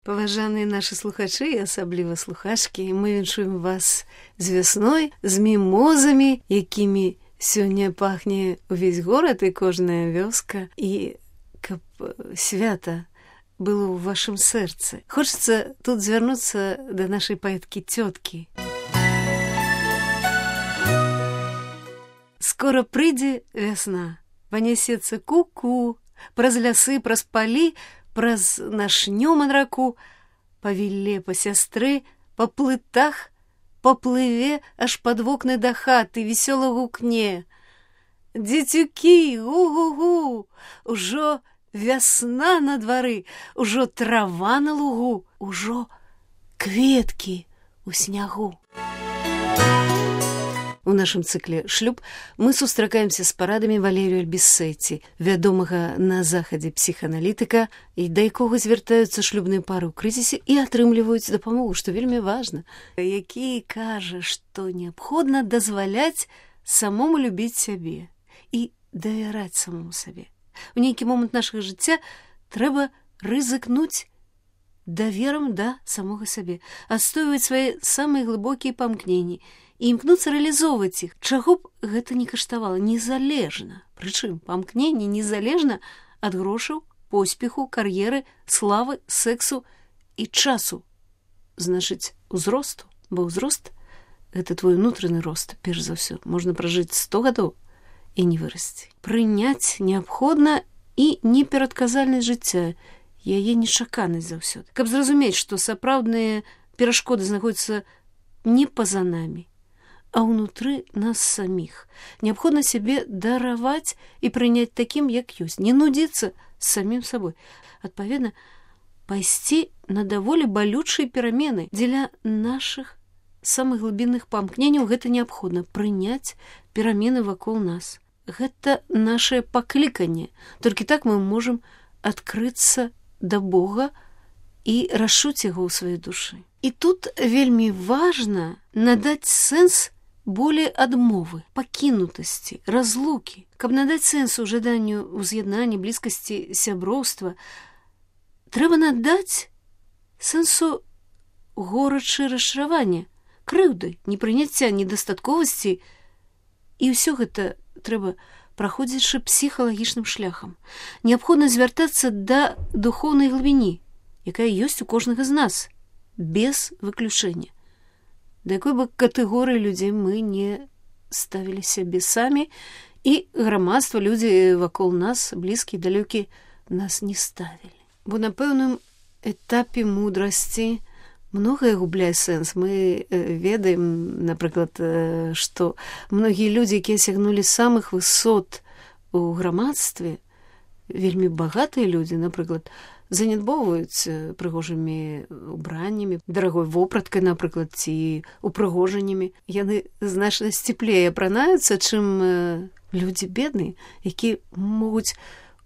Паважаныя нашы слухачы і асабліва слухачкі, мы віншуем вас з вясной, з мімозамі, якімі сёння пахне увесь горад і кожная вёска, і каб свята было ў вашым сэрцы. Хочацца тут звярнуцца да нашай паэткі-цёткі. Скора прыйдзе вясна, панясецца ку-ку, праз лясы, праз палі, праз нашнё манраку, па вілле, па сястры, па плытах, поплыве аж пад вокны да хаты, весёла гукне. Дзецюкі, гу-гу-гу, ужо вясна на двары, ужо трава на лугу, ужо кветкі ў снягу. У нашым цыкле «Шлюб» мы сустракаемся з парадамі Валерію Альбісеці, вядомага на захадзе псіхааналітыка, і да якога звяртаюцца шлюбныя пары ў крызісе і атрымліваюць дапамогу, што вельмі важна, які кажа, што неабходна дазваляць самому любіць сябе і давяраць самому сабе. У нейкі момант нашага жыцця трэба рызыкнуць даверам да самога сабе, адстойваць свае самыя глыбокія памкненні і імкнуцца рэалізоўваць іх, чаго б гэта не каштавала, незалежна. Прычым памкненне незалежна ад грошаў, поспеху, кар'еры, славы, сексу і часу. Значыць, узросту, бо ўзрост – гэта твой унутраны рост, перш за ўсё. Можна пражыць 100 гадоў і не вырасці. Прыняць неабходна і неперадказальнасць жыцця, яе нечаканасць заўсёды. Каб зразумець, што сапраўдныя перашкоды знаходзяцца не па-за намі, а ўнутры нас саміх. Неабходна сябе дараваць і прыняць такім, як ёсць, не нудзіцца з самім сабой. Адпаведна, пайсці на даволі балючыя перамены. Дзеля нашых самых глыбінных памкненняў гэта неабходна прыняць перамены вакол нас. Гэта нашае пакліканне. Толькі так мы можам адкрыцца да Бога і расчуць яго ў сваёй душы. І тут вельмі важна надаць сэнс болей адмовы, пакінутасці, разлукі. Каб надаць сэнсу жаданню ўз'яднання, блізкасці, сяброўства, трэба надаць сэнсу горачы расчаравання, крыўды, непрыняцця, недастатковасці. І ўсё гэта трэба праходзячы псіхалагічным шляхам. Неабходна звяртацца да духоўнай глыбіні, якая ёсць у кожнага з нас, без выключэння. Да якой бы катэгорыі людзей мы не ставілі сябе самі, і грамадства, людзі вакол нас, блізкія, далёкія, нас не ставілі. Бо на пэўным этапе мудрасці многае губляе сэнс. Мы ведаем, напрыклад, што многія людзі, якія сягнулі самых высот у грамадстве, вельмі багатыя людзі, напрыклад, занядбоўваюць прыгожымі убраннямі, дарагой вопраткай, напрыклад, ці упрыгожаннямі. Яны значна сціплей апранаюцца, чым людзі бедныя, якія могуць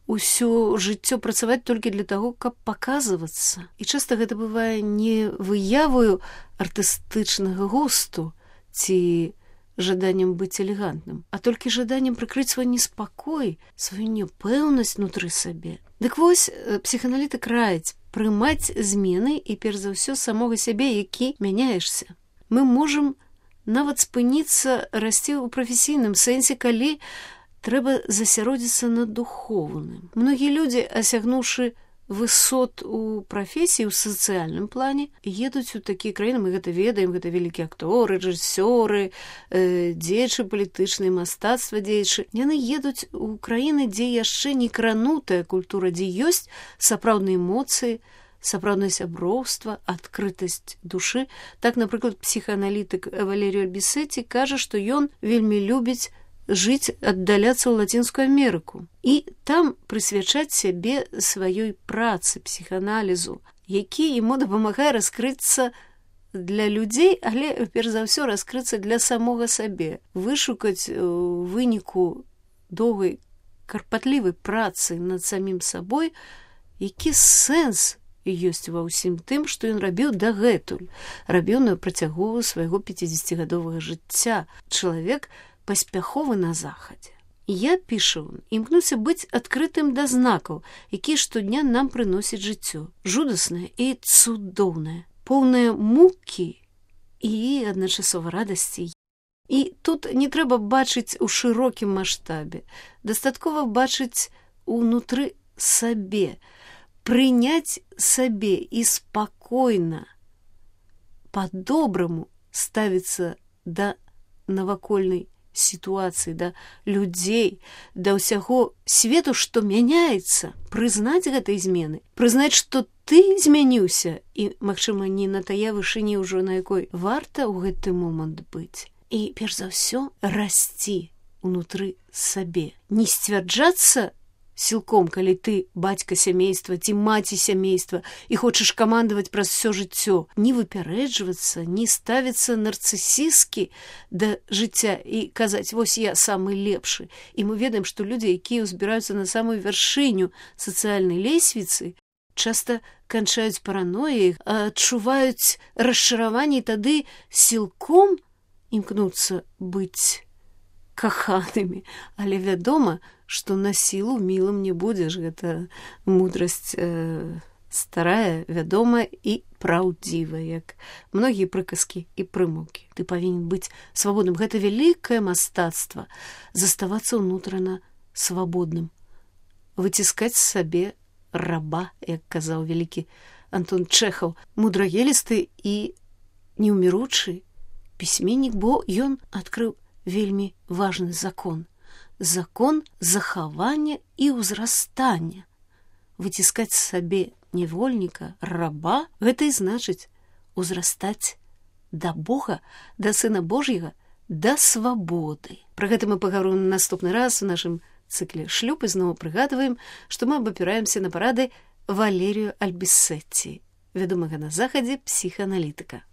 усё жыццё працаваць толькі для таго, каб паказвацца. І часта гэта бывае не выявою артыстычнага густу ці жаданнем быць элегантным, а толькі жаданнем прыкрыць свой неспакой, сваю няпэўнасць унутры сабе. Дык вось, псіхааналітык раіць прымаць змены і, перш за ўсё, самога сябе, які мяняешся. Мы можам нават спыніцца расці ў прафесійным сэнсе, калі трэба засяродзіцца на духоўным. Многія людзі, асягнуўшы высот у прафесіі, у сацыяльным плане, едуць у такія краіны, мы гэта ведаем, гэта вялікія акторы, рэжысёры, дзеячы палітычныя, мастацтва дзеячы. Яны едуць у краіны, дзе яшчэ не кранутая культура, дзе ёсць сапраўдныя эмоцыі, сапраўднае сяброўства, адкрытасць душы. Так, напрыклад, псіхааналітык Валерію Альбісеці кажа, што ён вельмі любіць жыць, аддаляцца ў Лацінскую Амерыку і там прысвячаць сябе сваёй працы, псіхааналізу, які яму дапамагае раскрыцца для людзей, але, перш за ўсё, раскрыцца для самога сабе, вышукаць у выніку доўгай карпатлівай працы над самім сабой, які сэнс ёсць ва ўсім тым, што ён рабіў дагэтуль, рабіў на працягу свайго 50-гадовага жыцця. Чалавек паспяховы на захадзе. Я, піша он, імкнуся быць адкрытым да знакаў, якія штодня нам прыносяць жыццё, жудаснае і цудоўнае, поўнае мукі і адначасова радасці. І тут не трэба бачыць у шырокім маштабе, дастаткова бачыць унутры сабе, прыняць сабе і спакойна, па-добраму ставіцца да навакольнай сітуацыі, да людзей, да ўсяго свету, што мяняецца, прызнаць гэтай змены, прызнаць, што ты змяніўся і, магчыма, не на тая вышыні ўжо, на якой варта ў гэты момант быць. І, перш за ўсё, расці унутры сабе. Не сцвярджацца сілком, калі ты бацька сямейства ці маці сямейства і хочаш камандаваць праз усё жыццё, не выпярэджвацца, не ставіцца нарцысісткі да жыцця і казаць, вось я самы лепшы. І мы ведаем, што людзі, якія ўзбіраюцца на самую вяршыню сацыяльнай лесвіцы, часта канчаюць паранояй, адчуваюць расчараванне, тады сілком імкнуцца быць каханымі, але вядома, што на сілу мілым не будзеш. Гэта мудрасць старая, вядомая і праўдзівая, як многія прыказкі і прымаўкі. Ты павінен быць свабодным. Гэта вялікае мастацтва заставацца ўнутрана свабодным, выціскаць сабе раба, як казаў вялікі Антон Чэхаў, мудрагелісты і неўміручы пісьменнік, бо ён адкрыў вельмі важны закон. Закон захавання і ўзрастання. Выціскаць сабе невольніка, раба, гэта і значыць узрастаць да Бога, да Сына Божьего, да свабоды. Пра гэта мы паговорым наступны раз у нашым цыкле «Шлюб» і зноў прыгадваем, што мы абапіраемся на парады Валерію Альбісетці, вядомага на захадзе псіхааналітыка.